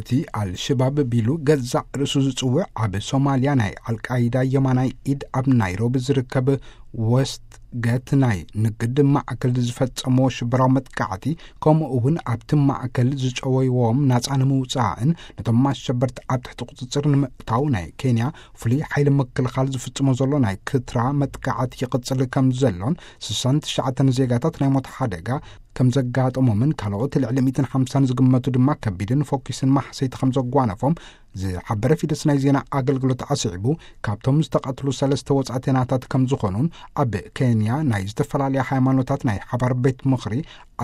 እቲ ኣልሸባብ ቢሉ ገዛእ ርእሱ ዝጽውዕ፣ ኣብ ሶማልያ ናይ ኣልቃይዳ የማናይ ኢድ ኣብ ናይሮቢ ዝርከብ ወስት ገት ናይ ንግድ ማዕከል ዝፈጸሞ ሽበራዊ መጥቃዕቲ፣ ከምኡ እውን ኣብቲ ማዕከል ዝጨወይዎም ናጻ ንምውጻእን ነቶም ኣሸበርቲ ኣብ ትሕቲ ቁጽጽር ንምእታው ናይ ኬንያ ፍሉይ ሓይሊ ምክልኻል ዝፍጽሞ ዘሎ ናይ ክትራ መጥቃዕቲ ይቕጽል ከም ዘሎን፣ ስሳን ትሽዓተን ዜጋታት ናይ ሞት ሓደጋ ከም ዘጋጠሞምን ካልኦት ልዕሊ ሚእትን ሓምሳን ዝግመቱ ድማ ከቢድን ፎኪስን ማሕሰይቲ ከም ዘጓነፎም ዝሓበረ ፊደስ ናይ ዜና ኣገልግሎት ኣስዒቡ፣ ካብቶም ዝተቐትሉ ሰለስተ ወጻእተናታት ከም ዝኾኑን፣ ኣብ ኬንያ ናይ ዝተፈላለያ ሃይማኖታት ናይ ሓባር ቤት ምኽሪ፣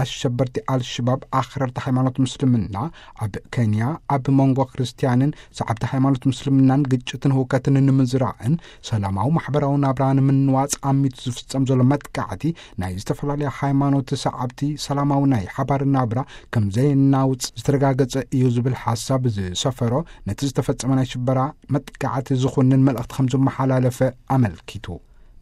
ኣሸበርቲ ኣልሽባብ ኣኽረርቲ ሃይማኖት ምስልምና ኣብ ኬንያ ኣብ መንጎ ክርስትያንን ሰዓብቲ ሃይማኖት ምስልምናን ግጭትን ህውከትን ንምዝራእን ሰላማዊ ማሕበራዊ ናብራ ንምንዋጽ ኣሚቱ ዝፍጸም ዘሎ መጥቃዕቲ፣ ናይ ዝተፈላለያ ሃይማኖት ሰዓብቲ ሰላማዊ ናይ ሓባር ናብራ ከም ዘየናውጽ ዝተረጋገጸ እዩ ዝብል ሓሳብ ዝሰፈሮ፣ ነቲ ዝተፈጸመ ናይ ሽበራ መጥቃዕቲ ዝኹንን መልእኽቲ ከም ዘመሓላለፈ ኣመልኪቱ።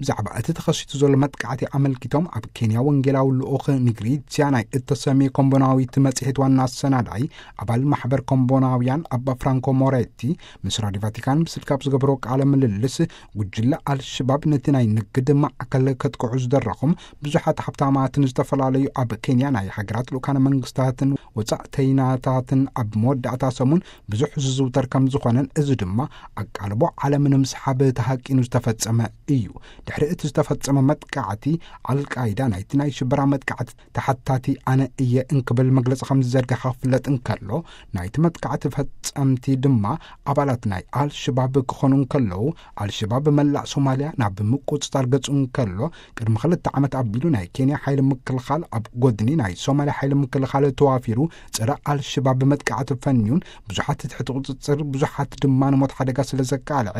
ብዛዕባ እቲ ተኸሲቱ ዘሎ መጥቃዕቲ ኣመልኪቶም ኣብ ኬንያ ወንጌላዊ ልኡኽ ንግሪትያ ናይ እተሰምየ ኮምቦናዊት መጽሔት ዋና ኣሰናዳኢ፣ ኣባል ማሕበር ኮምቦናውያን ኣባ ፍራንኮ ሞሬቲ ምስ ራዲዮ ቫቲካን ብስልኪ ኣብ ዝገበሮ ቃለ ምልልስ፣ ጉጅለ ኣልሽባብ ነቲ ናይ ንግድ ማዕከል ከጥቅዑ ዝደረኹም ብዙሓት ሃብታማትን ዝተፈላለዩ ኣብ ኬንያ ናይ ሃገራት ልኡካነ መንግስታትን ወጻእተይናታትን ኣብ መወዳእታ ሰሙን ብዙሕ ዝዝውተር ከም ዝኾነን፣ እዚ ድማ ኣቃልቦ ዓለም ንምስሓብ ተሃቂኑ ዝተፈጸመ እዩ። ድሕሪ እቲ ዝተፈጸመ መጥቃዕቲ፣ ኣልቃይዳ ናይቲ ናይ ሽበራ መጥቃዕቲ ተሓታቲ ኣነ እየ እንክብል መግለጺ ከም ዝዘርግሐ ክፍለጥ እንከሎ፣ ናይቲ መጥቃዕቲ ፈጸምቲ ድማ ኣባላት ናይ ኣልሽባብ ክኾኑ እንከለዉ፣ ኣልሽባብ መላእ ሶማልያ ናብ ምቁጽጻር ገጹ እንከሎ፣ ቅድሚ ክልተ ዓመት ኣቢሉ ናይ ኬንያ ሓይሊ ምክልኻል ኣብ ጎድኒ ናይ ሶማልያ ሓይሊ ምክልኻል ተዋፊሩ፣ ጸረ ኣልሽባብ መጥቃዕቲ ፈንዩን፣ ብዙሓት ትሕቲ ቁጽጽር፣ ብዙሓት ድማ ንሞት ሓደጋ ስለ ዘቃልዐ፣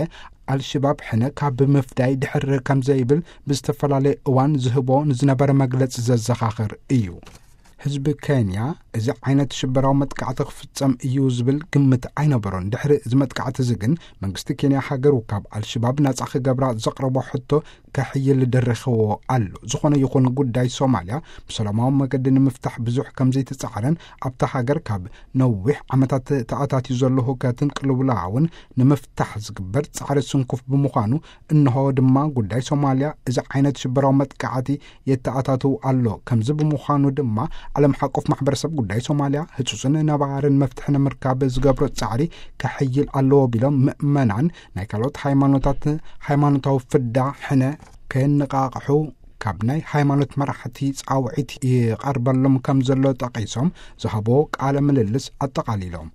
ኣልሽባብ ሕነ ካብ ምፍዳይ ድሕር ከም ዘይብል ብዝተፈላለየ እዋን ዝህቦ ንዝነበረ መግለጺ ዘዘኻኽር እዩ። ህዝቢ ኬንያ እዚ ዓይነት ሽበራዊ መጥቃዕቲ ክፍጸም እዩ ዝብል ግምት ኣይነበሮን። ድሕሪ እዚ መጥቃዕቲ እዚ ግን መንግስቲ ኬንያ ሃገሩ ካብ ኣልሽባብ ናጻ ክገብራ ዘቕረቦ ሕቶ ከሕይል ደረኽዎ ኣሎ። ዝኾነ ይኹን ጉዳይ ሶማልያ ብሰላማዊ መገዲ ንምፍታሕ ብዙሕ ከም ዘይተጻዕረን ኣብታ ሃገር ካብ ነዊሕ ዓመታት ተኣታትዩ ዘሎ ህውከትን ቅልውላውን ንምፍታሕ ዝግበር ጻዕሪ ስንኩፍ ብምዃኑ፣ እንሆ ድማ ጉዳይ ሶማልያ እዚ ዓይነት ሽበራዊ መጥቃዕቲ የተኣታትው ኣሎ። ከምዚ ብምዃኑ ድማ ዓለም ሓቆፍ ማሕበረሰብ ጉዳይ ሶማልያ ህጹጽን ነባርን መፍትሒ ንምርካብ ዝገብሮ ጻዕሪ ከሕይል ኣለዎ ቢሎም፣ ምእመናን ናይ ካልኦት ሃይማኖታት ሃይማኖታዊ ፍዳ ሕነ ከየነቃቕሑ ካብ ናይ ሃይማኖት መራሕቲ ጻውዒት ይቐርበሎም ከም ዘሎ ጠቒሶም ዝሃቦ ቃለ ምልልስ ኣጠቓሊሎም።